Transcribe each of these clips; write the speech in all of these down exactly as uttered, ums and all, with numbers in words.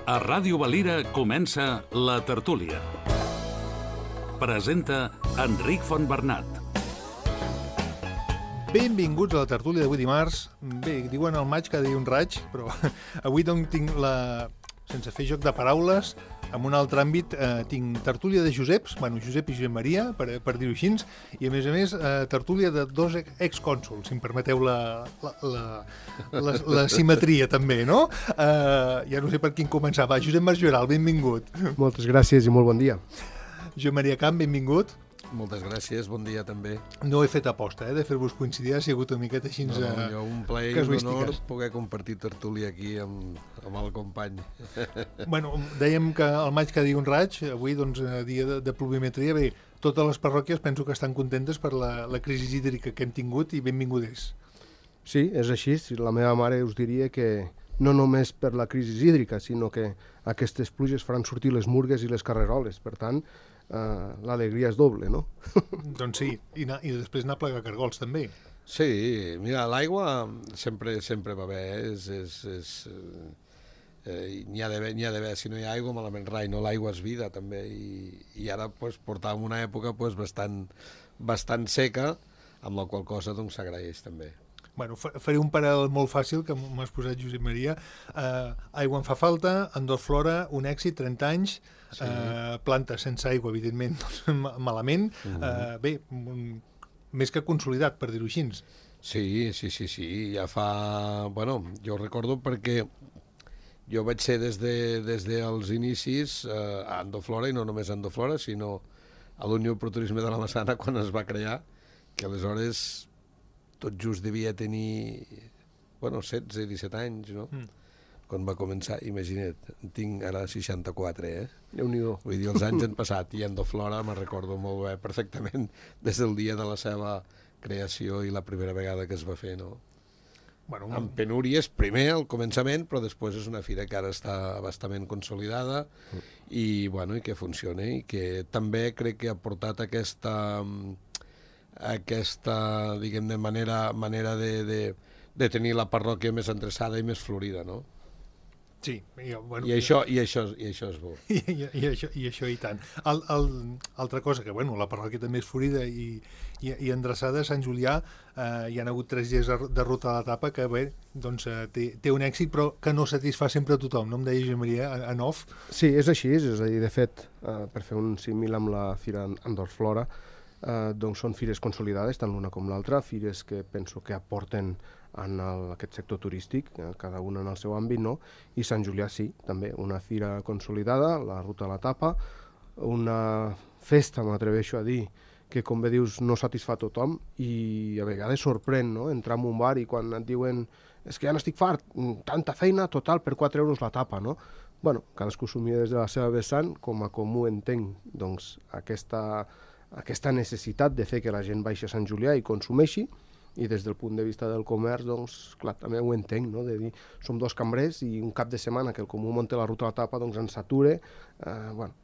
A Ràdio Valira comença La Tertúlia. Presenta Enric Fontbernat. Benvinguts a la tertúlia d'avui dimarts. Bé, diuen al maig cada dia un raig, però avui doncs tinc la... sense fer joc de paraules, en un altre àmbit eh, tinc tertúlia de Joseps, bueno, Josep i Josep Maria, per, per dir-ho així, i a més a més eh, tertúlia de dos excònsols, si em permeteu la, la, la, la, la simetria també, no? Eh, ja no sé per quin començar. Va, Josep Masjoral, benvingut. Moltes gràcies i molt bon dia. Josep Maria Camp, benvingut. Moltes gràcies, bon dia també. No he fet aposta, eh, de fer-vos coincidir, ha sigut una miqueta així... No, no, jo un plaer i un honor poder compartir tertúlia aquí amb, amb el company. Bueno, dèiem que al maig cada dia un raig, avui doncs dia de, de pluviometria. Bé, totes les parròquies penso que estan contentes per la, la crisi hídrica que hem tingut i benvingudes. Sí, és així. La meva mare us diria que no només per la crisi hídrica, sinó que aquestes pluges faran sortir les murgues i les carreroles. Per tant, Uh, l'alegria és doble, no? Doncs sí, i, na, i després anar a plegar cargols també. Sí, mira, l'aigua sempre sempre va bé, eh? és, és, és, eh, n'hi ha d'haver, n'hi ha d'haver, si no hi ha aigua malament rai, no? L'aigua és vida també, i, i ara pues, portàvem una època pues, bastant, bastant seca, amb la qual cosa doncs, s'agraeix també. Bueno, faré un paral·lel molt fàcil que m'has posat, Josep Maria. Uh, aigua en fa falta, Andor Flora, un èxit, trenta anys, sí. uh, plantes sense aigua, evidentment, doncs, malament. Uh, bé, un, més que consolidat, per dir-ho així. Sí, sí, sí, sí, ja fa... Bueno, jo recordo perquè jo vaig ser des, de, des dels inicis uh, a Andor Flora, i no només a Andor Flora, sinó a l'Unió Pro Turisme de la Massana, quan es va crear, que aleshores... tot just devia tenir, bueno, setze, disset anys, no? Mm. Quan va començar, imagina't, tinc ara seixanta-quatre, eh? Déu-n'hi-do. Vull dir, els anys han passat, i Andor Flora me'n recordo molt bé, perfectament, des del dia de la seva creació i la primera vegada que es va fer, no? Bueno, amb penúries, primer al començament, però després és una fira que ara està bastament consolidada mm. i, bueno, i que funciona, i que també crec que ha portat aquesta... aquesta, diguem-ne, manera, manera de, de, de tenir la parròquia més endreçada i més florida, no? Sí. I, bueno, I, això, i, això, i això és bo. I, i, i, això, i això i tant. El, el, altra cosa, que bueno, la parròquia també és florida i, i, i endreçada, Sant Julià, eh, hi ha hagut tres dies de ruta a l'etapa que bé, doncs, eh, té, té un èxit, però que no satisfà sempre a tothom, no em deia Josep Maria, en off? Sí, és així, és a dir, de fet, eh, per fer un símil amb la Fira Andor Flora, Uh, doncs són fires consolidades, tant l'una com l'altra, fires que penso que aporten en el, aquest sector turístic, eh, cada una en el seu àmbit, no? I Sant Julià sí, també, una fira consolidada, la ruta a la tapa, una festa, m'atreveixo a dir, que com bé dius no satisfà tothom i a vegades sorprèn, no? Entrar en un bar i quan et diuen és que ja n'estic fart, tanta feina, total, per quatre euros la tapa, no? Bueno, cadascú s'ho mira des de la seva vessant, com a comú entenc, doncs, aquesta... aquesta necessitat de fer que la gent baixi a Sant Julià i consumeixi, i des del punt de vista del comerç, doncs, clar, també ho entenc, no?, de dir, som dos cambrers i un cap de setmana que el comú munta la ruta a la tapa, doncs ens sature, eh, bueno,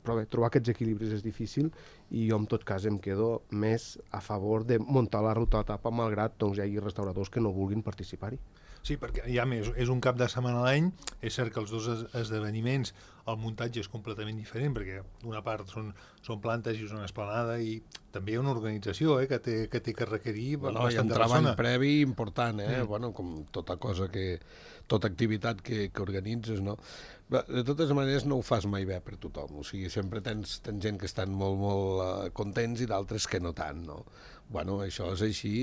però bé, trobar aquests equilibris és difícil i jo en tot cas em quedo més a favor de muntar la ruta a la tapa, malgrat doncs, hi hagi restauradors que no vulguin participar-hi. Sí, perquè ja més, és un cap de setmana a l'any, és cert que els dos esdeveniments, el muntatge és completament diferent, perquè d'una part són, són plantes i és una esplanada i també hi ha una organització eh, que, té, que té que requerir bueno, hi ha un treball previ important, eh? Mm. Bueno, com tota cosa que, tota activitat que, que organitzes, no? Però, de totes maneres no ho fas mai bé per tothom, o sigui, sempre tens, tens gent que estan molt, molt uh, contents i d'altres que no tant, no? Bueno, això és així,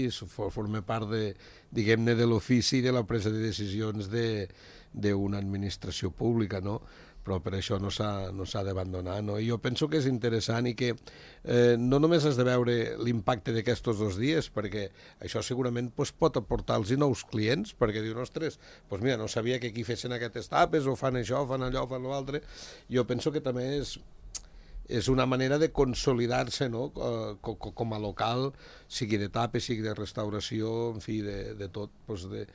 forma part de, diguem-ne, de l'ofici i de la presa de decisions d'una administració pública, no? Però per això no s'ha no s'ha d'abandonar, no? I jo penso que és interessant i que eh, no només has de veure l'impacte d'aquests dos dies, perquè això segurament pues, pot aportar-los nous clients, perquè diuen, ostres, pues mira, no sabia que aquí fessin aquestes tapes, o fan això, fan allò, fan l'altre. Jo penso que també és... és una manera de consolidar-se, no? Com a local, sigui de tapes, sigui de restauració, en fi, de, de tot. Doncs de...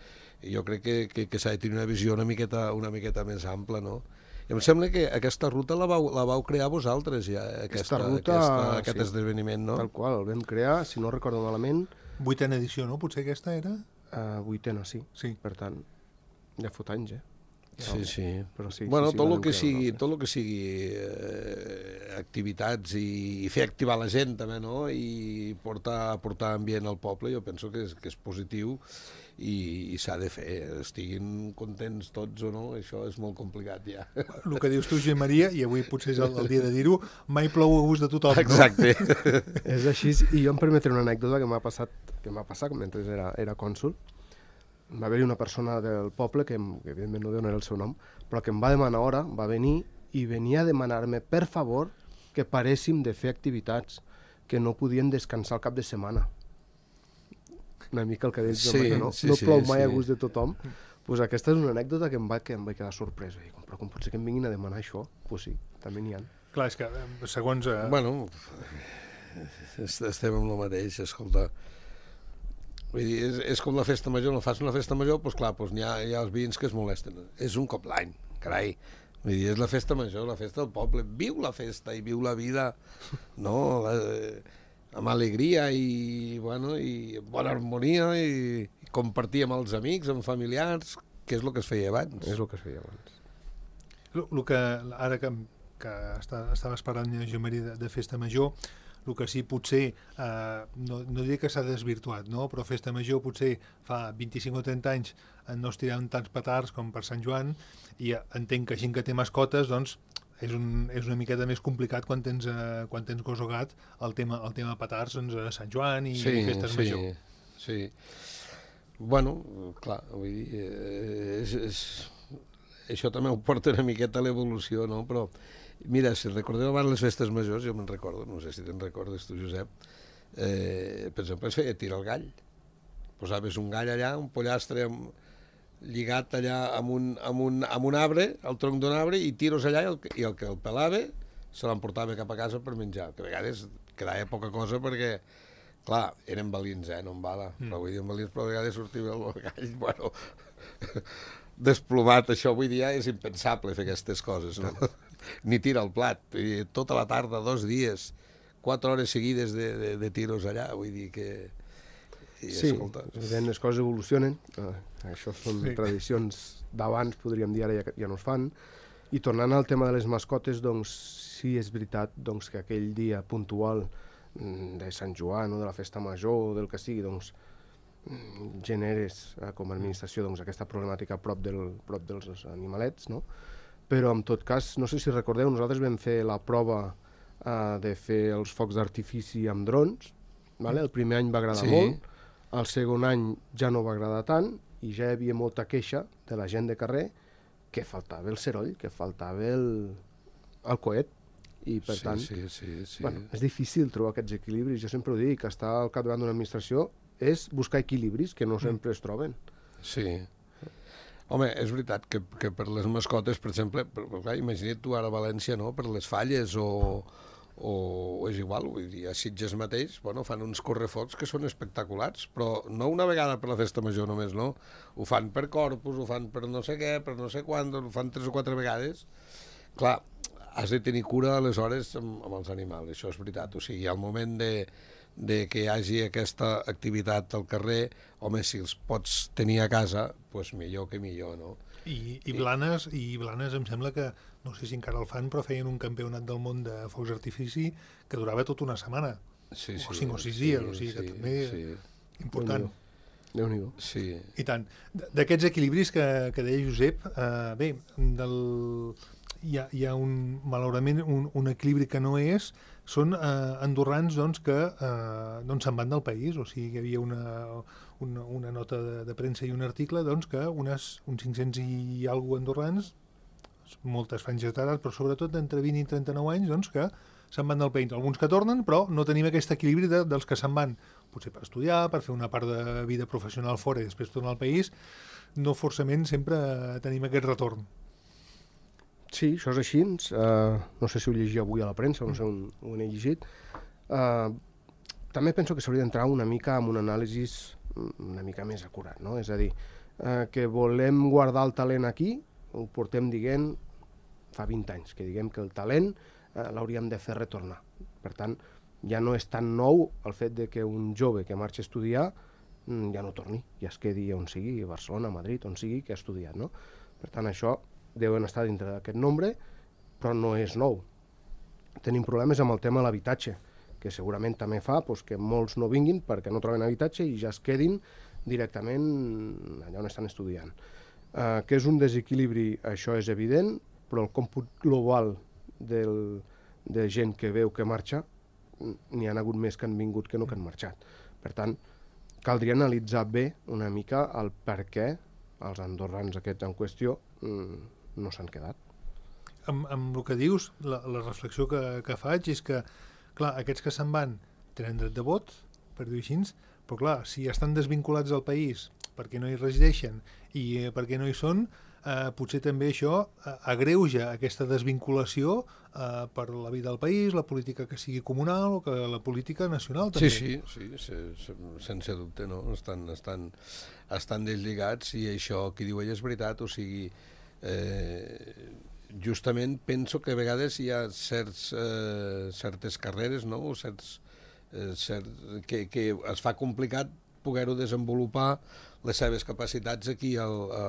Jo crec que, que, que s'ha de tenir una visió una miqueta, una miqueta més ampla, no? I em sembla que aquesta ruta la vau, la vau crear vosaltres, ja, aquesta, ruta, aquesta, aquest sí, esdeveniment, no? Tal qual, el vam crear, si no recordo malament... Vuitena edició, no? Potser aquesta era? Uh, vuitena, sí. Sí. Per tant, ja fot anys, eh? Sí, sí. Però sí, bueno, sí, sí, tot la el que deu sigui, creure, tot el que sigui eh, activitats i, i fer activar la gent també, no? I portar, portar ambient al poble, jo penso que és, que és positiu i, i s'ha de fer. Estiguin contents tots o no, això és molt complicat ja. El que dius tu, Josep Maria, i avui potser és el, el dia de dir-ho, mai plou a gust de tothom, no? Exacte. És així, i jo em permetré una anècdota que m'ha passat, que m'ha passat mentre era, era cònsul. Va haver-hi una persona del poble, que, que evidentment no donaré el seu nom, però que em va demanar hora, va venir i venia a demanar-me, per favor, que paréssim de fer activitats, que no podien descansar el cap de setmana. Una mica el que deies, Sí, no, sí, no sí, plou mai sí. a gust de tothom. Pues aquesta és una anècdota que em va, que em vaig quedar sorpresa. I dic, però com pot ser que em vinguin a demanar això? Pues sí, també n'hi ha. Clar, és que eh, segons... Eh, Bueno, est- estem amb el mateix, escolta. Vull dir, és, és com la festa major, no fas una festa major, doncs clar, doncs hi ha, hi ha els veïns que es molesten. És un cop l'any, carai. Vull dir, és la festa major, la festa del poble. Viu la festa i viu la vida, no? La, amb alegria i, bueno, i bona harmonia i, i compartir amb els amics, amb familiars, que és el que es feia abans. És el que es feia abans. el, el que, ara que, que està, estaves parlant, Josep Maria, de, de festa major, el que sí potser, eh, no, no diré que s'ha desvirtuat, no? Però festa major potser fa vint-i-cinc o trenta anys no es tiraven tants petards com per Sant Joan, i entenc que així que té mascotes, doncs és, un, és una miqueta més complicat quan tens, eh, quan tens gos o gat el tema, el tema petards, doncs, a Sant Joan i, sí, i festes sí, major. Sí, bueno, clar, vull dir, eh, és, és, això també ho porta una miqueta a l'evolució, no? Però mira, si recordeu abans les festes majors, jo me'n recordo, no sé si te'n recordes tu, Josep, eh, per exemple, es feia tirar el gall. Posaves un gall allà, un pollastre amb, lligat allà amb un, amb, un, amb un arbre, al tronc d'un arbre, i tiros allà, i el, i el que el pelava se l'emportava cap a casa per menjar, que a vegades quedava poca cosa perquè, clar, eren valins, eh, no en bala, mm. però vull dir, en valins, però a vegades sortia el gall, bueno, desplomat. Això avui dia és impensable fer aquestes coses, no? Ni tira el plat, i tota la tarda, dos dies, quatre hores seguides de, de, de tiros allà, vull dir que... I, sí, escolta... evident, les coses evolucionen, eh, això són Sí. tradicions d'abans, podríem dir, ara ja, ja no es fan, i tornant al tema de les mascotes, doncs sí és veritat doncs, que aquell dia puntual de Sant Joan o de la festa major o del que sigui, doncs generes eh, com a administració doncs, aquesta problemàtica prop, del, prop dels animalets, no? Però en tot cas, no sé si recordeu, nosaltres vam fer la prova eh, de fer els focs d'artifici amb drons, vale? El primer any va agradar Sí. molt, el segon any ja no va agradar tant i ja hi havia molta queixa de la gent de carrer que faltava el seroll, que faltava el, el coet, i per sí, tant sí, sí, sí. bueno, és difícil trobar aquests equilibris. Jo sempre ho dic, que estar al capdavant d'una administració és buscar equilibris que no sempre es troben. Sí. Home, és veritat que, que per les mascotes, per exemple, per, per, clar, imagina't tu ara a València, no?, per les falles o, o, o és igual, vull dir, a Sitges mateix, bueno, fan uns correfocs que són espectaculars, però no una vegada per la festa major només, no? Ho fan per Corpus, ho fan per no sé què, per no sé quan, ho fan tres o quatre vegades. Clar, has de tenir cura aleshores amb, amb els animals, això és veritat. O sigui, al moment de, de que hi hagi aquesta activitat al carrer, home, si els pots tenir a casa, doncs millor que millor, no? I, i, Blanes, I Blanes em sembla que, no sé si encara el fan, però feien un campionat del món de focs d'artifici que durava tota una setmana, Sí, sí, o cinc o sis sí, dies, o sigui que sí, també sí, important. Déu-n'hi-do. sí. I tant. D'aquests equilibris que, que deia Josep, eh, bé, del, hi, ha, hi ha un, malauradament un, un equilibri que no és, són eh, andorrans doncs, que eh, doncs se'n van del país, o sigui que hi havia una, una, una nota de, de premsa i un article doncs, que unes, uns cinc-cents i alguna andorrans, moltes franges d'edat, però sobretot d'entre vint i trenta-nou anys, doncs, que se'n van del país. Alguns que tornen, però no tenim aquest equilibri de, dels que se'n van, potser per estudiar, per fer una part de vida professional fora i després tornar al país, no forçament sempre tenim aquest retorn. Sí, això és així. Uh, no sé si ho llegia avui a la premsa, no sé on, on he llegit. Uh, també penso que s'hauria d'entrar una mica amb un anàlisi una mica més acurat, no? És a dir, uh, que volem guardar el talent aquí, ho portem dient fa vint anys, que diguem que el talent uh, l'hauríem de fer retornar. Per tant, ja no és tan nou el fet de que un jove que marxi a estudiar ja no torni, ja es quedi on sigui, a Barcelona, a Madrid, on sigui, que ha estudiat, no? Per tant, això deuen estar dintre d'aquest nombre, però no és nou. Tenim problemes amb el tema de l'habitatge, que segurament també fa doncs, que molts no vinguin perquè no troben habitatge i ja es quedin directament allà on estan estudiant. Eh, que és un desequilibri, això és evident, però el còmput global del, de gent que veu que marxa, n'hi ha hagut més que han vingut que no que han marxat. Per tant, caldria analitzar bé una mica el per què els andorrans aquests en qüestió no s'han quedat. Amb, amb el que dius, la, la reflexió que, que faig és que, clar, aquests que se'n van tenen dret de vot, per dir-ho així, però clar, si estan desvinculats del país perquè no hi resideixen i eh, perquè no hi són, eh, potser també això eh, agreuja aquesta desvinculació eh, per la vida del país, la política que sigui comunal o que la política nacional també. Sí, sí, sí, sí, sense dubte, no? Estan, estan, estan deslligats i això que diu ell és veritat, o sigui, eh, justament penso que a vegades hi ha certs, eh, certes carreres, no? O certs, eh, cert, que, que es fa complicat poder-ho desenvolupar les seves capacitats aquí al, a,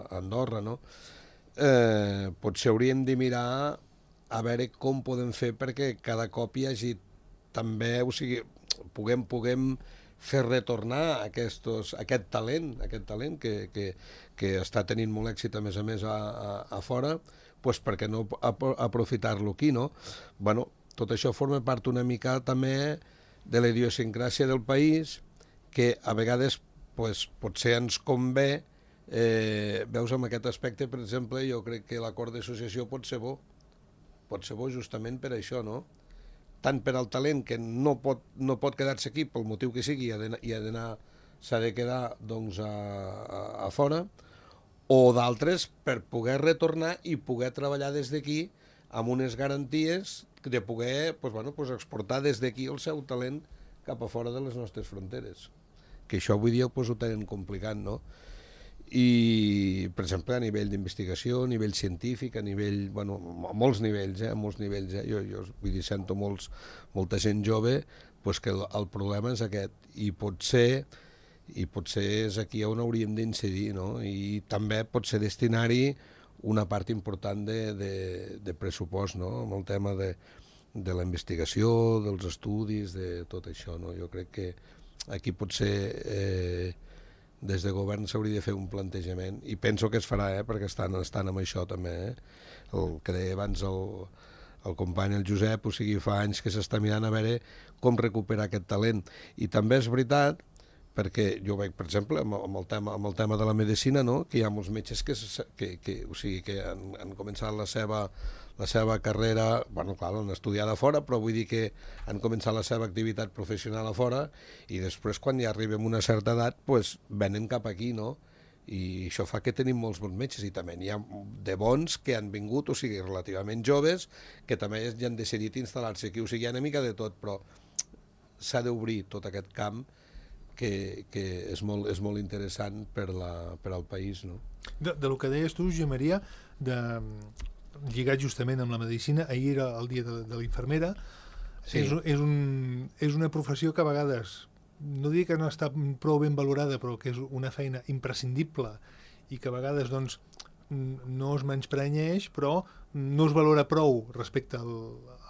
a Andorra, no? Eh, potser hauríem de mirar a veure com podem fer perquè cada cop hi hagi també, o sigui, puguem, puguem fer retornar aquestos, aquest talent, aquest talent que, que, que està tenint molt èxit a més a més a, a, a fora, pues per què no aprofitar-lo aquí, no? Bueno, tot això forma part una mica també de la idiosincràsia del país, que a vegades pues, potser ens convé, eh, veus amb aquest aspecte, per exemple, jo crec que l'acord d'associació pot ser bo, pot ser bo justament per això, no? Tant per al talent que no pot, no pot quedar-se aquí pel motiu que sigui i ha d'anar, s'ha de quedar doncs, a, a, a fora, o d'altres per poder retornar i poder treballar des d'aquí amb unes garanties de poder pues, bueno, pues, exportar des d'aquí el seu talent cap a fora de les nostres fronteres. Que això avui dia pues, ho tenen complicat, no? I, per exemple, a nivell d'investigació, a nivell científic, a nivell, bueno, a molts nivells, eh, a molts nivells, eh? Jo, jo vull dir, sento molts, molta gent jove, pues que el, el problema és aquest, i potser, i potser és aquí on hauríem d'incidir, no? I també potser destinar-hi una part important de, de, de pressupost, no? Amb el tema de, de la investigació, dels estudis, de tot això, no? Jo crec que aquí potser eh, des de govern s'hauria de fer un plantejament i penso que es farà, eh, perquè estan, estan amb això també, eh? El que deia abans el, el company, el Josep, o sigui, fa anys que s'està mirant a veure com recuperar aquest talent. I també és veritat, perquè jo veig, per exemple, amb, amb, el, tema, amb el tema de la medicina, no? Que hi ha molts metges que, que, que, o sigui, que han, han començat la seva, la seva carrera, bueno, clar, l'han estudiat a fora, però vull dir que han començat la seva activitat professional a fora i després, quan ja arribem a una certa edat, pues, venen cap aquí, no? I això fa que tenim molts bons metges i també n'hi ha de bons que han vingut, o sigui, relativament joves, que també ja han decidit instal·lar-se aquí, o sigui, hi ha una mica de tot, però s'ha d'obrir tot aquest camp que, que és, molt, és molt interessant per, la, per al país, no? De, de lo que deies tu, Josep Maria, de, lligat justament amb la medicina, ahir era el dia de, de la infermera, sí. és, és, un, és una professió que a vegades, no dic que no està prou ben valorada, però que és una feina imprescindible i que a vegades doncs, no es menysprenyeix, però no es valora prou respecte al,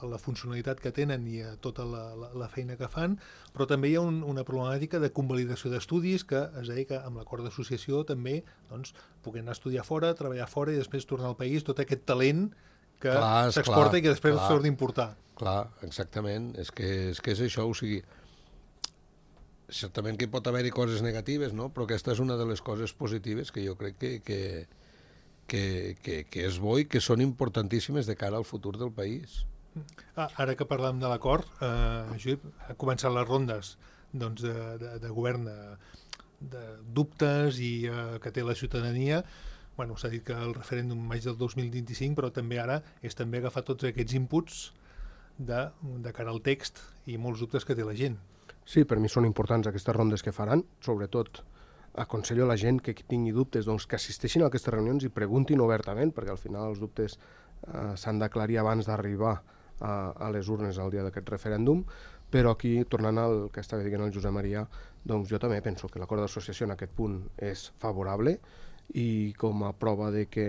a la funcionalitat que tenen i a tota la, la, la feina que fan, però també hi ha un, una problemàtica de convalidació d'estudis que es deia que amb l'acord d'associació també doncs, puguem anar a estudiar fora, treballar fora i després tornar al país, tot aquest talent que s'exporta i que després s'ha d'importar. Clar, exactament, és que, és que és això, o sigui, certament que hi pot haver-hi coses negatives, no? Però aquesta és una de les coses positives que jo crec que, que, que, que, que és bo i que són importantíssimes de cara al futur del país. Ah, ara que parlem de l'acord, eh, Josep, han començat les rondes doncs, de, de, de govern de, de dubtes i eh, que té la ciutadania. Bueno, s'ha dit que el referèndum maig del dos mil vint-i-cinc, però també ara és també agafar tots aquests inputs de, de cara al text i molts dubtes que té la gent. Sí, per mi són importants aquestes rondes que faran, sobretot aconsello a la gent que tingui dubtes doncs, que assisteixin a aquestes reunions i preguntin obertament, perquè al final els dubtes eh, s'han d'aclarir abans d'arribar a, a les urnes el dia d'aquest referèndum, però aquí, tornant al que estava dient el Josep Maria, doncs jo també penso que l'acord d'associació en aquest punt és favorable, i com a prova de que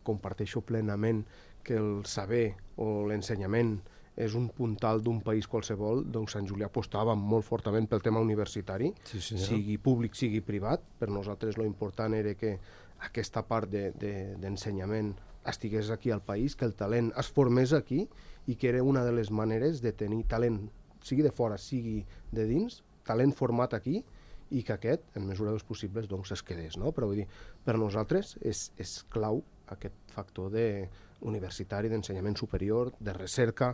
comparteixo plenament que el saber o l'ensenyament és un puntal d'un país qualsevol, doncs Sant Julià apostava molt fortament pel tema universitari, sí, sigui públic, sigui privat. Per nosaltres lo important era que aquesta part d'ensenyament de, de, estigués aquí al país, que el talent es formés aquí i que era una de les maneres de tenir talent, sigui de fora, sigui de dins, talent format aquí i que aquest, en mesura dels possibles, doncs es quedés. No? Però vull dir, per nosaltres és, és clau aquest factor de universitari, d'ensenyament superior, de recerca.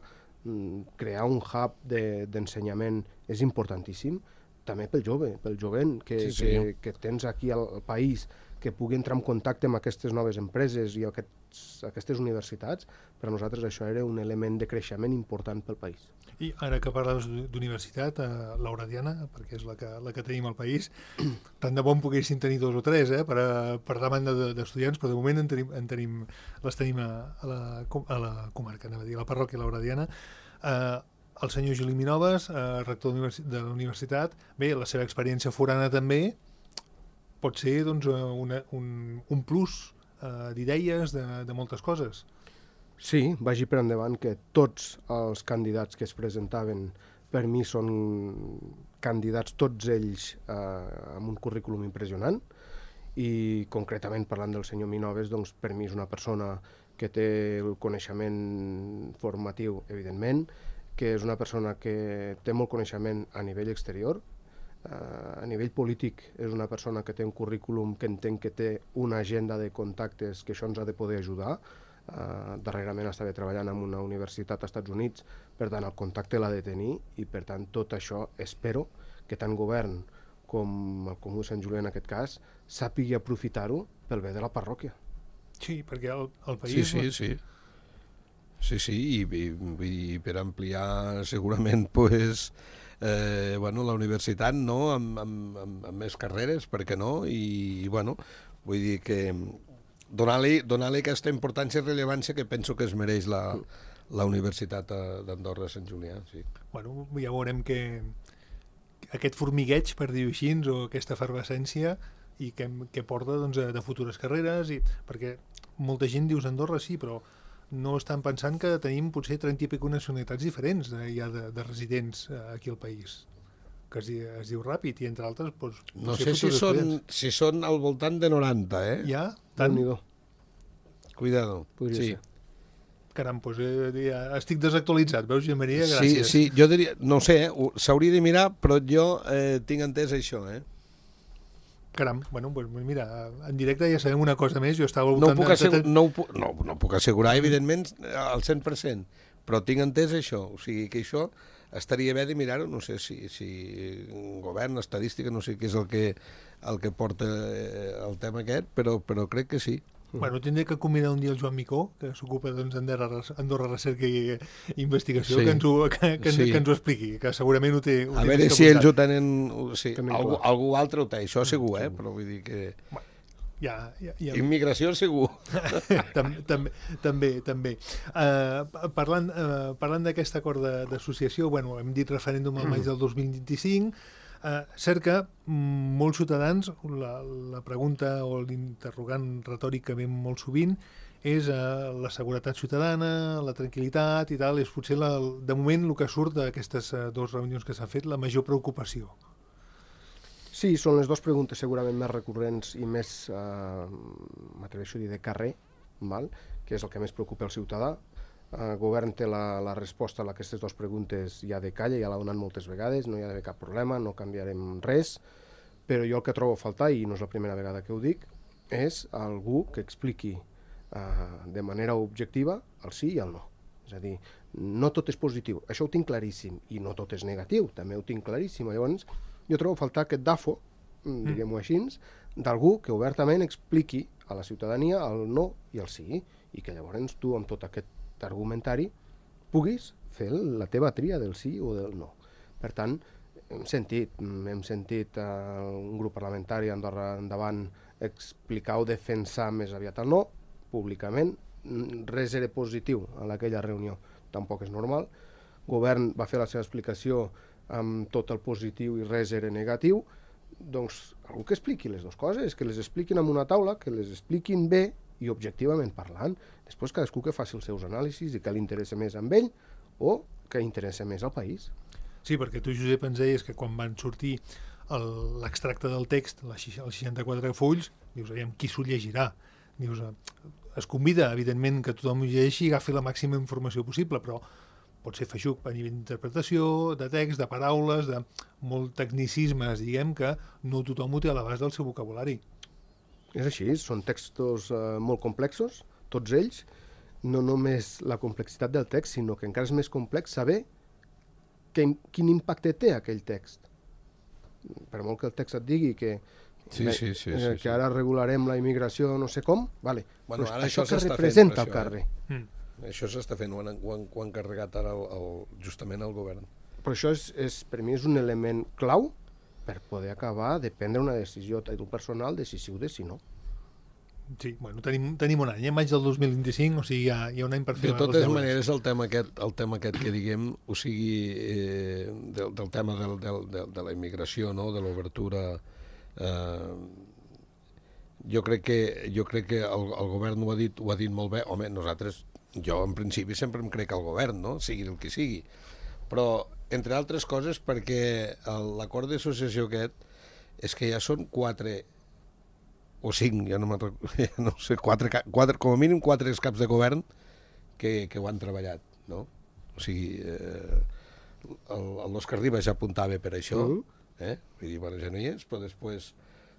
Crear un hub d'ensenyament de, és importantíssim, també pel jove, pel jovent que, sí, sí. que, que tens aquí al país, que pugui entrar en contacte amb aquestes noves empreses i aquests, aquestes universitats. Per a nosaltres això era un element de creixement important pel país. I ara que parles d'universitat, eh, l'Auradiana, perquè és la que, la que tenim al país, tant de bon poguessin tenir dos o tres eh, per, a, per demanda d'estudiants, però de moment en tenim, en tenim, les tenim a, a, la, a la comarca, anava a dir, a la parròquia l'Auradiana. Eh, el senyor Gili Minoves, eh, rector de la universitat, bé, la seva experiència forana també pot ser doncs, una, un, un plus eh, d'idees, de, de moltes coses. Sí, vagi per endavant que tots els candidats que es presentaven per mi són candidats, tots ells eh, amb un currículum impressionant, i concretament parlant del senyor Minoves, doncs per mi és una persona que té el coneixement formatiu, evidentment, que és una persona que té molt coneixement a nivell exterior, Uh, a nivell polític és una persona que té un currículum que entenc que té una agenda de contactes que això ens ha de poder ajudar. Uh, darrerament estava treballant en una universitat als Estats Units, per tant el contacte l'ha de tenir, i per tant tot això espero que tant govern com el Comú de Sant Julià en aquest cas sàpigui aprofitar-ho pel bé de la parròquia. Sí, perquè el, el país... Sí, sí, sí. Sí, sí, i, i, i per ampliar segurament pues, eh, bueno, la universitat no? amb, amb, amb, amb més carreres, per què no? I, i bueno, vull dir que donar-li donar-li aquesta importància i rellevància que penso que es mereix la, la Universitat d'Andorra Sant Julià. Sí. Bueno, ja veurem que aquest formigueig, per dir-ho així, o aquesta efervescència, i que, que porta doncs, de futures carreres, i, perquè molta gent dius Andorra sí, però no estan pensant que tenim potser trenta i pico nacionalitats diferents eh, ja de, de residents eh, aquí al país, que es, es diu ràpid, i entre altres doncs, no sé si són, si són al voltant de noranta, eh? Ja? Tant? Cuidado. Podria sí. ser. Caram, doncs eh, ja estic desactualitzat, veus, Jean Maria? Gràcies. Sí, sí, jo diria, no sé, eh, s'hauria de mirar, però jo eh, tinc entès això, eh? Caram, bueno, pues mira, en directe ja sabem una cosa més, jo estava no, puc assegur, no, ho puc, no, no puc assegurar, evidentment, al cent per cent, però tinc entès això, o sigui que això estaria bé de mirar-ho, no sé si, si govern, estadística, no sé què és el que, el que porta el tema aquest, però, però crec que sí. Bueno, tindré que convidar un dia el Joan Micó, que s'ocupa doncs, d'Andorra Andorra Recerca i Investigació, sí. que, ens ho, que, que, sí. que ens ho expliqui, que segurament ho té... Ho a veure si ells ho tenen... Sí, algú, algú altre ho té, això segur, eh? Però vull dir que... Bueno, ja, ja, ja... Immigració segur. també, també, també. també. Uh, parlant uh, parlant d'aquest acord d'associació, bueno, hem dit referèndum al maig del dos mil vint-i-cinc, Uh, cert que molts ciutadans, la, la pregunta o l'interrogant retòric que ve molt sovint és uh, la seguretat ciutadana, la tranquil·litat i tal, és potser la, de moment el que surt d'aquestes uh, dues reunions que s'ha fet, la major preocupació. Sí, són les dues preguntes segurament més recurrents i més, uh, m'atreveixo a dir, de carrer, val? Que és el que més preocupa el ciutadà. El govern té la, la resposta a aquestes dues preguntes ja de calle, ja l'ha donat moltes vegades, no hi ha d'haver cap problema, no canviarem res, però jo el que trobo a faltar, i no és la primera vegada que ho dic, és algú que expliqui eh, de manera objectiva el sí i el no. És a dir, no tot és positiu, això ho tinc claríssim, i no tot és negatiu, també ho tinc claríssim. Llavors, jo trobo a faltar aquest dafo, diguem-ho així, d'algú que obertament expliqui a la ciutadania el no i el sí, i que llavors tu, amb tot aquest argumentari, puguis fer la teva tria del sí o del no. Per tant, hem sentit, hem sentit uh, un grup parlamentari Andorra Endavant explicar o defensar més aviat el no, públicament. Res era positiu en aquella reunió, tampoc és normal. Govern va fer la seva explicació amb tot el positiu i res era negatiu. doncs algú que expliqui les dues coses, que les expliquin en una taula, que les expliquin bé i objectivament parlant. Després cadascú que faci els seus anàlisis i que li interessa més amb ell o que interessa més al país. Sí, perquè tu, Josep, ens deies que quan van sortir l'extracte del text, els seixanta-quatre fulls, dius, aviam, qui s'ho llegirà? Dius, es convida, evidentment, que tothom ho llegeixi i agafi la màxima informació possible, però pot ser feixuc a nivell d'interpretació, de text, de paraules, de molt tecnicismes, diguem, que no tothom ho té a l'abast del seu vocabulari. És així, són textos eh, molt complexos, tots ells, no només la complexitat del text, sinó que encara és més complex saber que, quin impacte té aquell text. Per molt que el text et digui que, sí, sí, sí, eh, sí, que sí. ara regularem la immigració no sé com, vale. Bueno, però ara això, això que s'està representa fent, el per carrer. això, Mm. Això s'està fent, ho han, ho han, ho han carregat ara el, el, justament el govern. Però això és, és, per mi és un element clau per poder acabar de prendre una decisió a títol personal, decisiu de si no. Sí, bueno, tenim, tenim un any, eh? Maig del dos mil vint-i-cinc, o sigui, hi ha, hi ha un any per fer De els totes deures. maneres, el tema aquest, el tema aquest que diguem, o sigui, eh, del, del tema del, del, del, de la immigració, no? De l'obertura, eh, jo crec que, jo crec que el, el govern ho ha dit, ho ha dit molt bé. Home, nosaltres, jo en principi sempre em crec al govern, no? Sigui el que sigui. Però, entre altres coses, perquè l'acord d'associació aquest és que ja són quatre o cinc, ja no, ja no sé, quatre, quatre, com a mínim quatre caps de govern que, que ho han treballat, no? O sigui, eh, l'Òscar Ribas ja apuntava per això, eh? Vull dir, bueno, ja no hi és, però després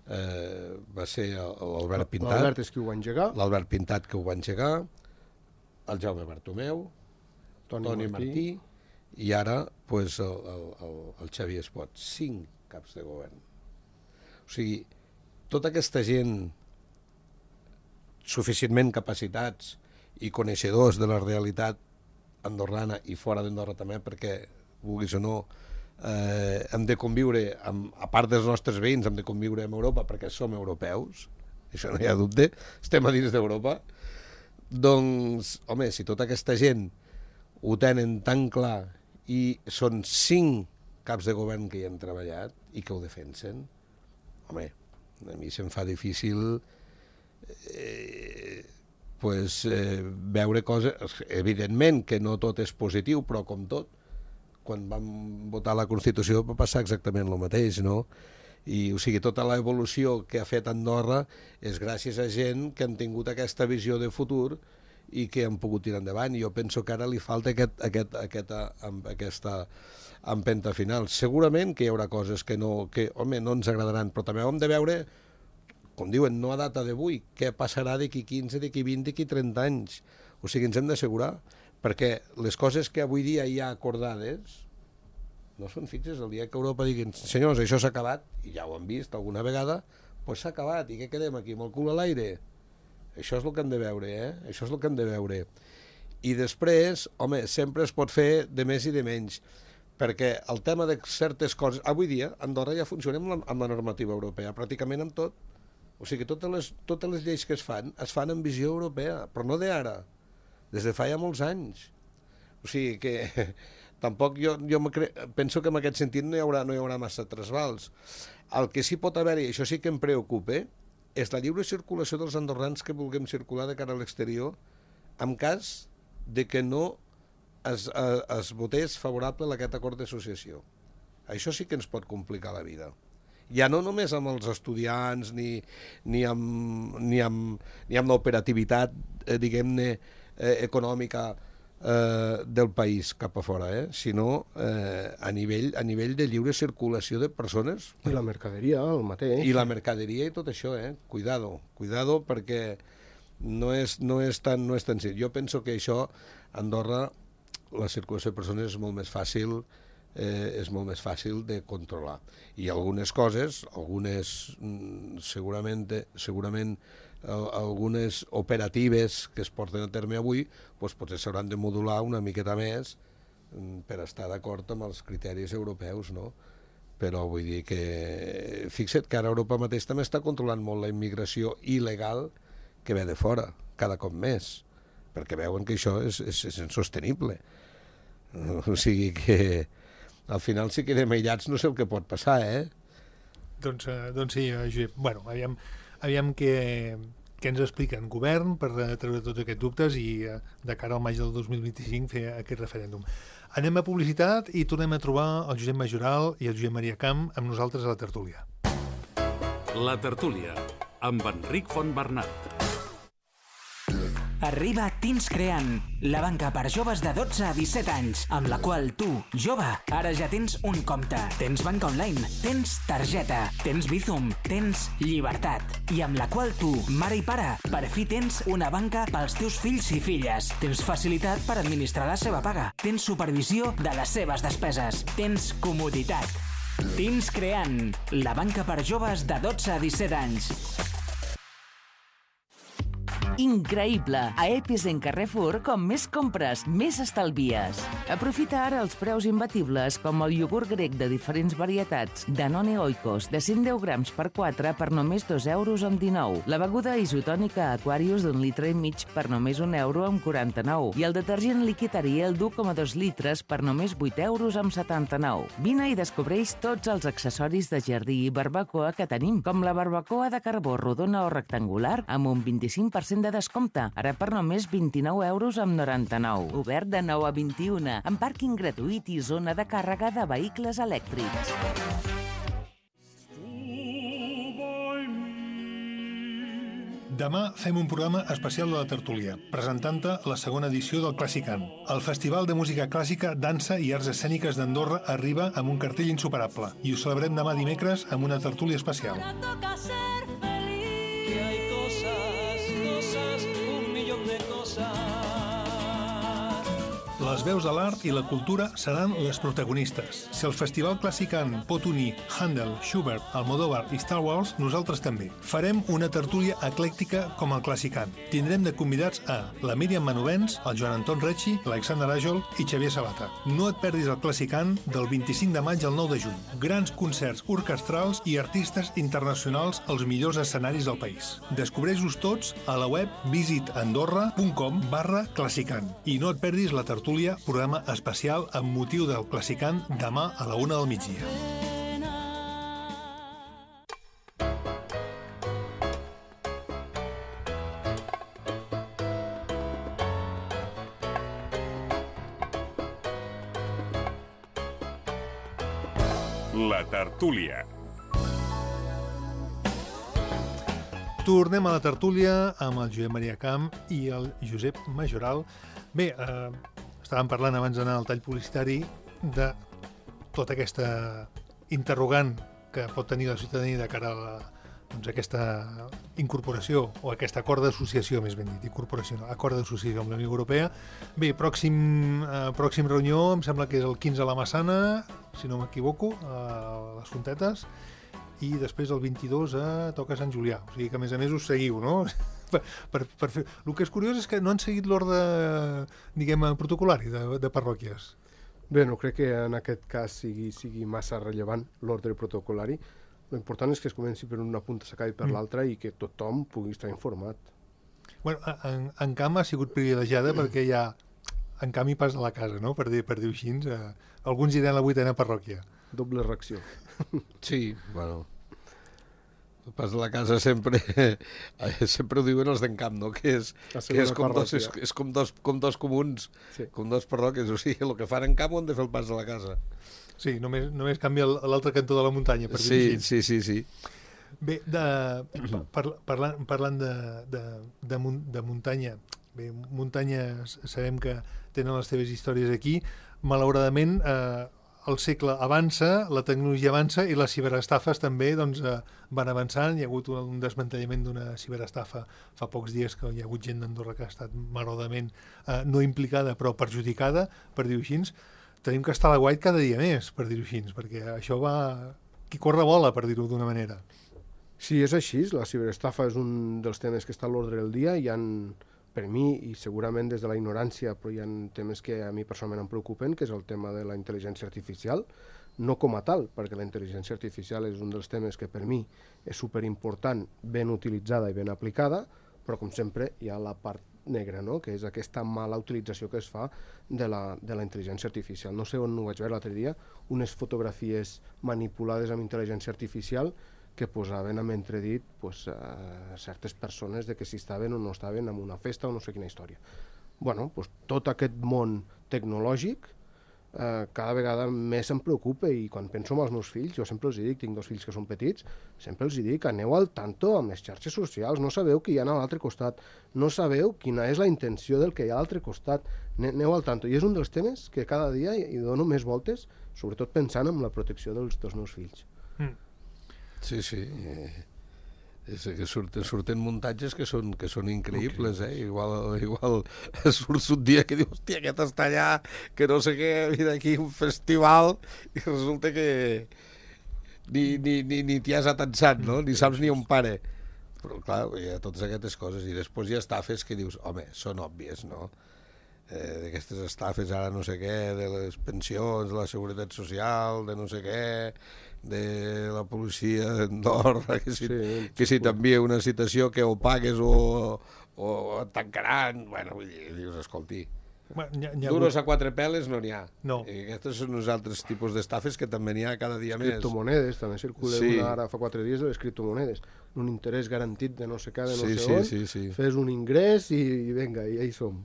eh, va ser l'Albert Pintat. L'Albert és qui ho va engegar. L'Albert Pintat que ho va engegar, el Jaume Bartomeu, Toni, Toni Martí. Martí, i ara pues, el, el, el, el Xavier Espot. Cinc caps de govern. O sigui, tota aquesta gent suficientment capacitats i coneixedors de la realitat andorrana i fora d'Andorra també, perquè, vulguis o no, eh, hem de conviure, amb, a part dels nostres veïns, hem de conviure amb Europa perquè som europeus, això no hi ha dubte, estem a dins d'Europa. Doncs, home, si tota aquesta gent ho tenen tan clar i són cinc caps de govern que hi han treballat i que ho defensen, home, a mi se'm fa difícil eh, pues, eh, veure coses. Evidentment que no tot és positiu, però com tot, quan vam votar la Constitució va passar exactament el mateix, no? I, o sigui, tota l'evolució que ha fet Andorra és gràcies a gent que han tingut aquesta visió de futur i que han pogut tirar endavant. I jo penso que ara li falta aquest, aquest, aquesta, aquesta empenta final. Segurament que hi haurà coses que, no, que home, no ens agradaran, però també hem de veure, com diuen, no a data d'avui, què passarà d'aquí quinze, d'aquí vint, d'aquí trenta anys. O sigui, ens hem d'assegurar, perquè les coses que avui dia hi ha acordades no són fixes. El dia que Europa diguin, senyors, això s'ha acabat, i ja ho han vist alguna vegada, doncs s'ha acabat, i què quedem aquí, amb el cul a l'aire? Això és el que hem de veure, eh? Això és el que hem de veure. I després, home, sempre es pot fer de més i de menys, perquè el tema de certes coses... Avui dia, Andorra ja funciona amb la, amb la normativa europea, pràcticament amb tot. O sigui, totes les, totes les lleis que es fan, es fan en visió europea, però no d'ara, des de fa ja molts anys. O sigui que... Tampoc jo, jo cre... penso que en aquest sentit no hi haurà, no hi haurà massa trasbals. El que sí pot haver-hi, això sí que em preocupa, és la lliure circulació dels andorrans que vulguem circular de cara a l'exterior en cas de que no es, es, es votés favorable a aquest acord d'associació. Això sí que ens pot complicar la vida. Ja no només amb els estudiants ni, ni amb, ni amb, ni amb l'operativitat, eh, diguem-ne, eh, econòmica Eh, del país cap a fora, eh? Sinó eh, a, nivell, a nivell de lliure circulació de persones. I la mercaderia, el mateix. I la mercaderia i tot això, eh? Cuidado, cuidado, perquè no és, no és tan, no és tan senzill. Jo penso que això, a Andorra, la circulació de persones és molt més fàcil, eh, és molt més fàcil de controlar. I algunes coses, algunes mm, segurament, segurament algunes operatives que es porten a terme avui, doncs potser s'hauran de modular una miqueta més per estar d'acord amb els criteris europeus, no? Però vull dir que fixa't que ara Europa mateix també està controlant molt la immigració il·legal que ve de fora, cada cop més, perquè veuen que això és, és, és insostenible. O sigui que al final si quedem aïllats no sé el que pot passar, eh? Doncs, uh, doncs sí, uh, Josep. Bueno, aviam, aviam què, què ens explica en govern per uh, treure tots aquests dubtes i uh, de cara al maig del dos mil vint-i-cinc fer aquest referèndum. Anem a publicitat i tornem a trobar el Josep Majoral i el Josep Maria Camp amb nosaltres a la tertúlia. La tertúlia, amb Enric Fontbernat. Arriba Teens Creant, la banca per joves de dotze a disset anys, amb la qual tu, jove, ara ja tens un compte. Tens banca online, tens targeta, tens Bizum, tens llibertat. I amb la qual tu, mare i pare, per fi tens una banca pels teus fills i filles. Tens facilitat per administrar la seva paga. Tens supervisió de les seves despeses. Tens comoditat. Teens Creant, la banca per joves de dotze a disset anys. Increïble! A Epizen Carrefour, com més compres, més estalvies. Aprofita ara els preus imbatibles com el iogurt grec de diferents varietats, Danone Oikos, de cent deu grams per quatre per només dos euros amb dinou. La beguda isotònica Aquarius d'un litre i mig per només un euro amb quaranta-nou. I el detergent líquid Ariel d'u coma dos litres per només vuit euros amb setanta-nou. Vine i descobreix tots els accessoris de jardí i barbacoa que tenim, com la barbacoa de carbó rodona o rectangular amb un vint-i-cinc per cent de descompte, ara per només vint-i-nou euros amb noranta-nou. Obert de nou a vint-i-una, amb pàrquing gratuït i zona de càrrega de vehicles elèctrics. Demà fem un programa especial de la tertúlia, presentant-te la segona edició del Clàssicant. El Festival de Música Clàssica, Dansa i Arts Escèniques d'Andorra arriba amb un cartell insuperable i ho celebrem demà dimecres amb una tertúlia especial. Les veus de l'art i la cultura seran les protagonistes. Si el Festival Clàssicant pot unir Handel, Schubert, Almodóvar i Star Wars, nosaltres també. Farem una tertúlia eclèctica com el Clàssicant. Tindrem de convidats a la Míriam Manovens, el Joan Anton Recci, l'Alexander Àjol i Xavier Sabata. No et perdis el Clàssicant del vint-i-cinc de maig al nou de juny. Grans concerts orquestrals i artistes internacionals als millors escenaris del país. Descobreix-los tots a la web visitandorra punt com barra Clàssicant. I no et perdis la tertúlia, programa especial amb motiu del Clàssicant demà a la una del migdia. La tertúlia. Tornem a la tertúlia amb el Josep Maria Camp i el Josep Majoral. Bé, eh, estàvem parlant abans d'anar al tall publicitari de tota aquesta interrogant que pot tenir la ciutadania de cara a la, doncs, aquesta incorporació o aquest acord d'associació, més ben dit, incorporació, no, acord d'associació amb la Unió Europea. Bé, pròxim, eh, pròxim reunió, em sembla que és el quinze a la Massana, si no m'equivoco, a les Fontetes, i després el vint-i-dos a toca Sant Julià. O sigui que, a més a més, us seguiu, no? Per, per, per fer... El que és curiós és que no han seguit l'ordre, diguem, protocolari de, de parròquies. Bé, no crec que en aquest cas sigui, sigui massa rellevant l'ordre protocolari. L'important és que es comenci per una punta, s'acabi per mm. l'altra i que tothom pugui estar informat. Bueno, en, en Camp ha sigut privilegiada mm. perquè hi ha, en Camp hi pas a la casa, no? Per dir, per dir-ho així. Eh, alguns iran a la vuitena parròquia. Doble reacció. Sí, bueno... El pas de la casa sempre sempre ho diuen els d'en Camp, no? Que és, que és, com, dos, és, és com, dos, com dos comuns, sí. Com dos parròquies. O sigui, el que fan en Camp ho han de fer el pas de la casa. Sí, només, només canvia l'altre cantó de la muntanya, per sí, dir així. Sí, sí, sí. Bé, de, par, parlant, parlant de, de, de, de muntanya, bé, muntanyes sabem que tenen les seves històries aquí. Malauradament, eh, el segle avança, la tecnologia avança i les ciberestafes també doncs, eh, van avançant. Hi ha hagut un desmantellament d'una ciberestafa fa pocs dies, que hi ha hagut gent d'Andorra que ha estat malauradament eh, no implicada però perjudicada, per dir-ho així. Tenim que estar a la guait cada dia més, per dir-ho així, perquè això va... qui corre vola, per dir-ho d'una manera. Sí, és així. La ciberestafa és un dels temes que està a l'ordre del dia. Hi ha, per mi, i segurament des de la ignorància, però hi ha temes que a mi personalment em preocupen, que és el tema de la intel·ligència artificial, no com a tal, perquè la intel·ligència artificial és un dels temes que per mi és superimportant, ben utilitzada i ben aplicada, però com sempre hi ha la part negre, no? Que és aquesta mala utilització que es fa de la, de la intel·ligència artificial. No sé on ho vaig veure l'altre dia, unes fotografies manipulades amb intel·ligència artificial que posaven amb entredit pues, a certes persones de que si estaven o no estaven en una festa o no sé quina història. Bueno, pues, tot aquest món tecnològic eh, cada vegada més em preocupa i quan penso en els meus fills, jo sempre els dic, tinc dos fills que són petits, sempre els dic, aneu al tanto amb les xarxes socials, no sabeu qui hi ha a l'altre costat, no sabeu quina és la intenció del que hi ha a l'altre costat, aneu al tanto. I és un dels temes que cada dia hi dono més voltes, sobretot pensant en la protecció dels, dels meus fills. Mm. Sí, sí. Eh, és que surten, surten muntatges que són, que són increïbles, eh? Igual, igual surts un dia que dius, hòstia, aquest està allà, que no sé què, mira aquí un festival, i resulta que ni, ni, ni, ni t'hi has atensat, no? Ni saps ni on pare. Però, clar, hi ha totes aquestes coses. I després hi ha estafes que dius, home, són òbvies, no? Eh, d'aquestes estafes ara no sé què, de les pensions, de la seguretat social, de no sé què, de la policia d'Andorra, que si, sí, que si t'envia una citació que o pagues o, o et tancaran, bueno, vull dir, dius, escolti, bueno, hi ha, hi ha duros hagut... a quatre peles no n'hi ha. No. I aquests són uns altres tipus d'estafes que també n'hi ha cada dia més. Criptomonedes, també circula Sí. una ara fa quatre dies de les criptomonedes, un interès garantit de no sé què, de no Sí, sé sí, on, sí, sí. fes un ingrés i, i vinga, i ja hi som.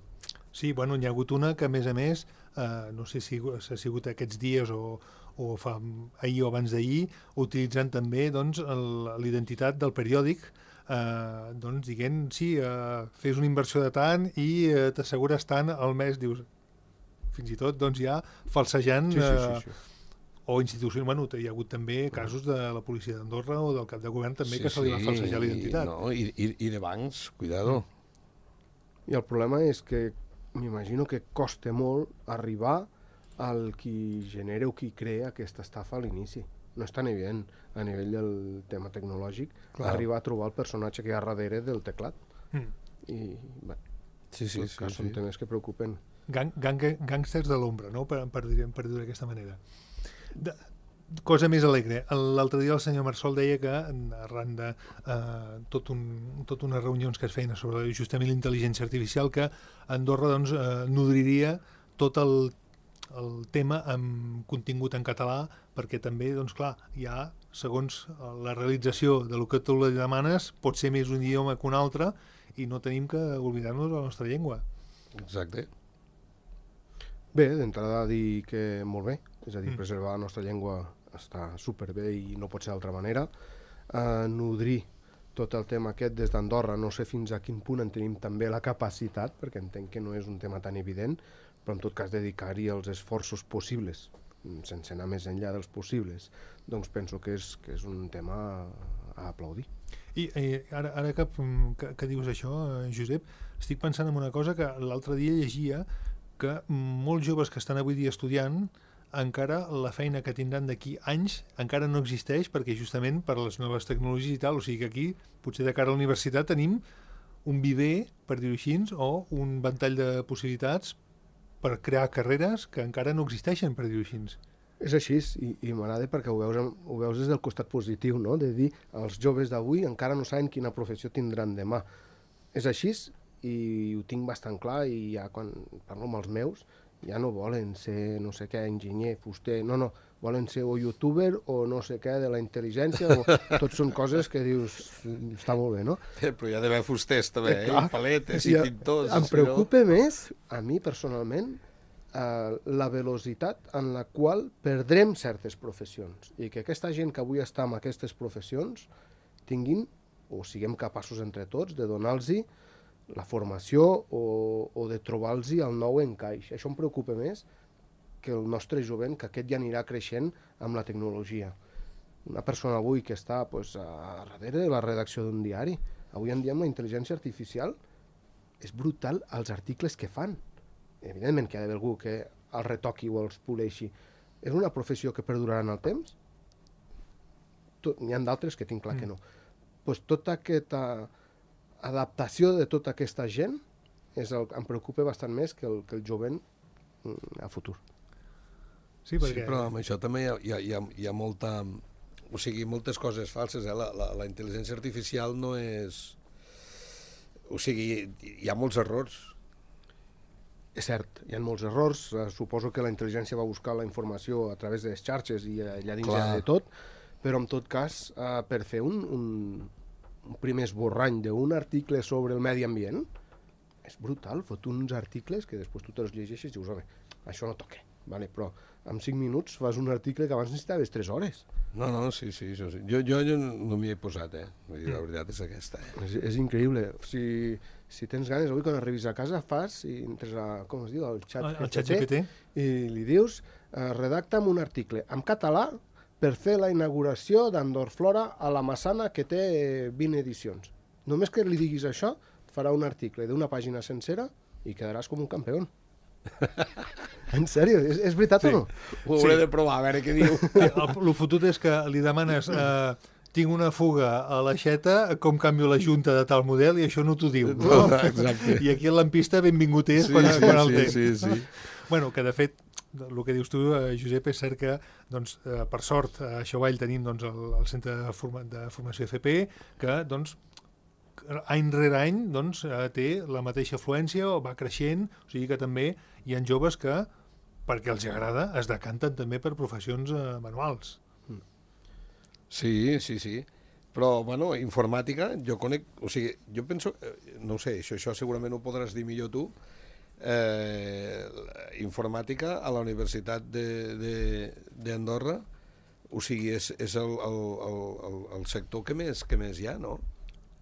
Sí, bueno, n'hi ha hagut una que, a més a més, eh, no sé si ha sigut aquests dies o, o fa ahir o abans d'ahir, utilitzant també doncs, l'identitat del periòdic, eh, doncs, dient, sí, eh, fes una inversió de tant i eh, t'assegures tant al mes, dius, fins i tot doncs, ja falsejant... Sí, sí, sí, sí. Eh, o institucions, bueno, hi ha hagut també casos de la policia d'Andorra o del cap de govern també sí, que se li va falsejar l'identitat. No, i, i, i de bancs, cuidado. I el problema és que m'imagino que costa molt arribar al qui genera o qui crea aquesta estafa a l'inici. No és tan evident a nivell del tema tecnològic Clar. arribar a trobar el personatge que hi ha darrere del teclat. Mm. I bé, sí, sí, sí, sí, són sí. temes que preocupen. Gang, gang, gangsters de l'ombra, no? per, per dir-ho per dir d'aquesta manera. De, cosa més alegre. L'altre dia el senyor Marsol deia que arran de eh, tot, un, tot unes reunions que es feien sobre justament la intel·ligència artificial, que Andorra doncs, eh, nodriria tot el, el tema amb contingut en català, perquè també, doncs clar, hi ha, segons la realització de lo que tu li demanes, pot ser més un idioma que un altre i no tenim que oblidar-nos de la nostra llengua. Exacte. Bé, d'entrada dir que molt bé, és a dir, Mm. preservar la nostra llengua està superbé i no pot ser d'altra manera. Uh, nodrir tot el tema aquest des d'Andorra, no sé fins a quin punt en tenim també la capacitat, perquè entenc que no és un tema tan evident, però en tot cas dedicar-hi els esforços possibles, sense anar més enllà dels possibles, doncs penso que és, que és un tema a aplaudir. I eh, ara, ara que, que, que dius això, eh, Josep, estic pensant en una cosa que l'altre dia llegia, que molts joves que estan avui dia estudiant encara la feina que tindran d'aquí anys encara no existeix perquè justament per les noves tecnologies i tal, o sigui que aquí potser de cara a la universitat tenim un viver, per dir-ho així, o un ventall de possibilitats per crear carreres que encara no existeixen, per dir-ho així. És així, i, i m'agrada perquè ho veus, ho veus des del costat positiu, no? De dir, els joves d'avui encara no saben quina professió tindran demà. És així i ho tinc bastant clar i ja quan parlo amb els meus ja no volen ser no sé què, enginyer, fuster, no, no, volen ser o youtuber o no sé què de la intel·ligència, o tot són coses que dius, està molt bé, no? Eh, però hi ha d'haver fusters també, eh? Clar. I paletes i I pintors. em si preocupa no... més, a mi personalment, eh, la velocitat en la qual perdrem certes professions i que aquesta gent que avui està en aquestes professions tinguin, o siguem capaços entre tots, de donar-los la formació o, o de trobar-los el nou encaix. Això em preocupa més que el nostre jovent, que aquest ja anirà creixent amb la tecnologia. Una persona avui que està pues, a darrere de la redacció d'un diari, avui en dia amb la intel·ligència artificial és brutal els articles que fan. Evidentment que hi ha d'haver algú que els retoqui o els poleixi. És una professió que perdurarà en el temps? N'hi ha d'altres que tinc clar mm. que no. Pues tota aquesta adaptació de tota aquesta gent és el, em preocupa bastant més que el, que el jovent a futur. Sí, perquè... sí, però amb això també hi ha, hi ha, hi ha, hi ha molta... O sigui, moltes coses falses, eh? La, la, la intel·ligència artificial no és... o sigui, hi ha molts errors. És cert, hi ha molts errors. Uh, suposo que la intel·ligència va buscar la informació a través de les xarxes i allà dins hi ha de tot, però en tot cas, uh, per fer un, un, un primer esborrany d'un article sobre el medi ambient, és brutal, fot uns articles que després tu te'ls llegeixes i dius, home, això no toca, vale? Però en cinc minuts fas un article que abans necessitaves tres hores. No, no, sí, sí, això sí. Jo, jo, jo no m'hi he posat, eh? Vull dir, la veritat és aquesta, eh? És, és increïble. Si, si tens ganes, avui quan arribis a casa fas i entres a, com es diu, al xat, El xat G P T. i li dius, eh, redacta'm un article en català per fer la inauguració d'Andorflora a la Massana, que té vint edicions. Només que li diguis això, farà un article d'una pàgina sencera i quedaràs com un campió. En sèrio, és, és veritat sí. o no? Ho hauré sí. de provar, a veure què diu. El, el fotut és que li demanes eh, tinc una fuga a l'aixeta, com canvio la junta de tal model, i això no t'ho diu. No? Exacte. I aquí el lampista benvingut és sí, quan, sí, quan el sí, té. Sí, sí. Bueno, que de fet, el que dius tu, eh, Josep, és cert que, doncs, eh, per sort, a Xovall tenim doncs, el, el Centre de, Forma, de Formació F P, que, doncs, any rere any doncs, eh, té la mateixa afluència o va creixent, o sigui que també hi ha joves que, perquè els agrada, es decanten també per professions eh, manuals. Sí, sí, sí. Però, bueno, informàtica, jo conec... O sigui, jo penso... No ho sé, això, això segurament ho podràs dir millor tu. Eh, informàtica a la Universitat d'Andorra, o sigui, és, és el, el, el, el sector que més, que més hi ha, no?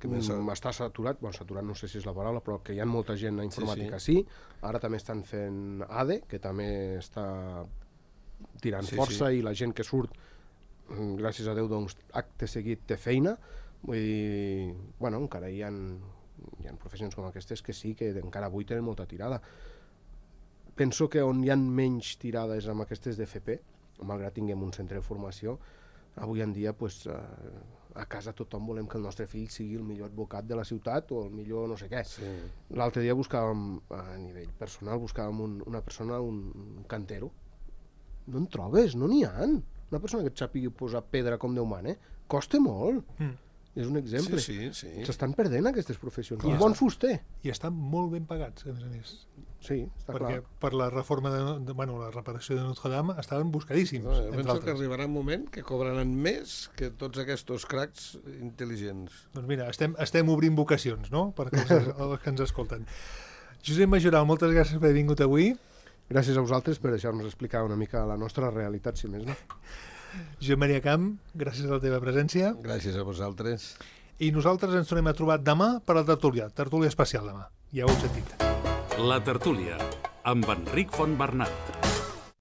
Que més... Mm, està saturat, bueno, saturat no sé si és la paraula, però que hi ha molta gent a informàtica, sí. sí. Ara també estan fent A D E, que també està tirant sí, força, sí. I la gent que surt, gràcies a Déu, doncs, acte seguit té feina. Vull dir, bueno, encara hi ha, hi ha professions com aquestes que sí, que encara avui tenen molta tirada. Penso que on hi ha menys tirades amb aquestes d'F P, malgrat tinguem un centre de formació, avui en dia, pues, eh, a casa tothom volem que el nostre fill sigui el millor advocat de la ciutat o el millor no sé què. Sí. L'altre dia buscàvem, a nivell personal, buscàvem un, una persona, un, un cantero. No en trobes, no n'hi ha. Una persona que et sàpigui posar pedra com Déu mana, eh? Costa molt. Mm. És un exemple. Sí, sí, sí. S'estan perdent aquestes professions. Un bon fuster. I estan molt ben pagats, a més a més. Sí, està perquè clar. Per la reforma de, de bueno, la reparació de Notre Dame estaven buscadíssims. No, jo penso que arribarà un moment que cobraran més que tots aquests cracs intel·ligents. Doncs mira, estem, estem obrint vocacions, no?, per els, els que ens escolten. Josep Majoral, moltes gràcies per haver vingut avui. Gràcies a vosaltres per deixar-nos explicar una mica la nostra realitat, si més no. Josep Maria Camp, gràcies a la teva presència. Gràcies a vosaltres. I nosaltres ens tornem a trobar demà per la tertúlia, tertúlia especial demà. Ja ho heu sentit. La tertúlia, amb Enric Fontbernat.